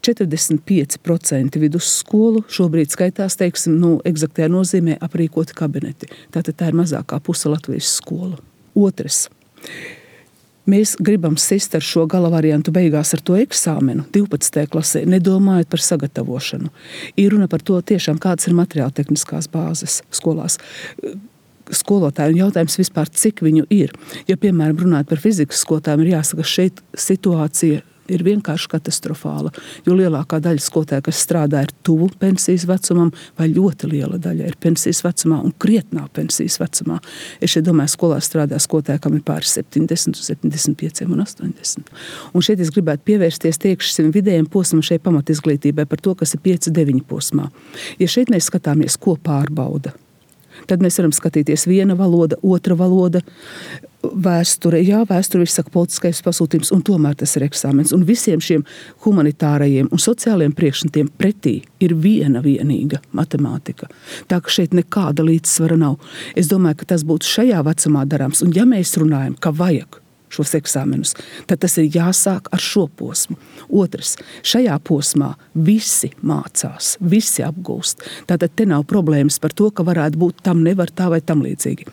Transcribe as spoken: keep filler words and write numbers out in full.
četrdesmit pieci procenti vidusskolu šobrīd skaitās, teiksim, nu, eksaktajā nozīmē aprīkoti kabineti. Tātad tā ir mazākā puse Latvijas skolu. Otrs. Mēs gribam sist ar šo gala variantu beigās ar to eksāmenu divpadsmitajā klasē, nedomājot par sagatavošanu. Ir runa par to tiešām, kādas ir materiāla tehniskās bāzes skolās. Skolotāju un jautājums vispār, cik viņu ir. Ja, piemēram, runājot par fizikas skolotājiem, ir jāsaka, šeit situācija ir vienkārši katastrofāla, jo lielākā daļa skolotāju, kas strādā, ir tuvu pensijas vecumam, vai ļoti liela daļa ir pensijas vecumā un krietnā pensijas vecumā. Es šeit domāju, skolā strādā skolotāji, kam ir pāri septiņdesmit, septiņdesmit pieci un astoņdesmit. Un šeit es gribētu pievērsties tiekšiem vidējiem posmam šeit pamatizglītībai par to, kas ir pieci deviņi posmā. Ja šeit mēs skatāmies, ko pārbauda, tad mēs varam skatīties viena valoda, otra valoda, vēsture, jā, vēsture viss saka politiskais pasūtījums, un tomēr tas ir eksāmens. Un visiem šiem humanitārajiem un sociālajiem priekšmetiem pretī ir viena vienīga matemātika. Tā ka šeit nekāda līdzsvara nav. Es domāju, ka tas būtu šajā vecumā darāms. Un ja mēs runājam, ka vajag šos eksāmenus, tad tas ir jāsāk ar šo posmu. Otrs, šajā posmā visi mācās, visi apgūst. Tātad te nav problēmas par to, ka varētu būt tam nevar tā vai tam līdzīgi.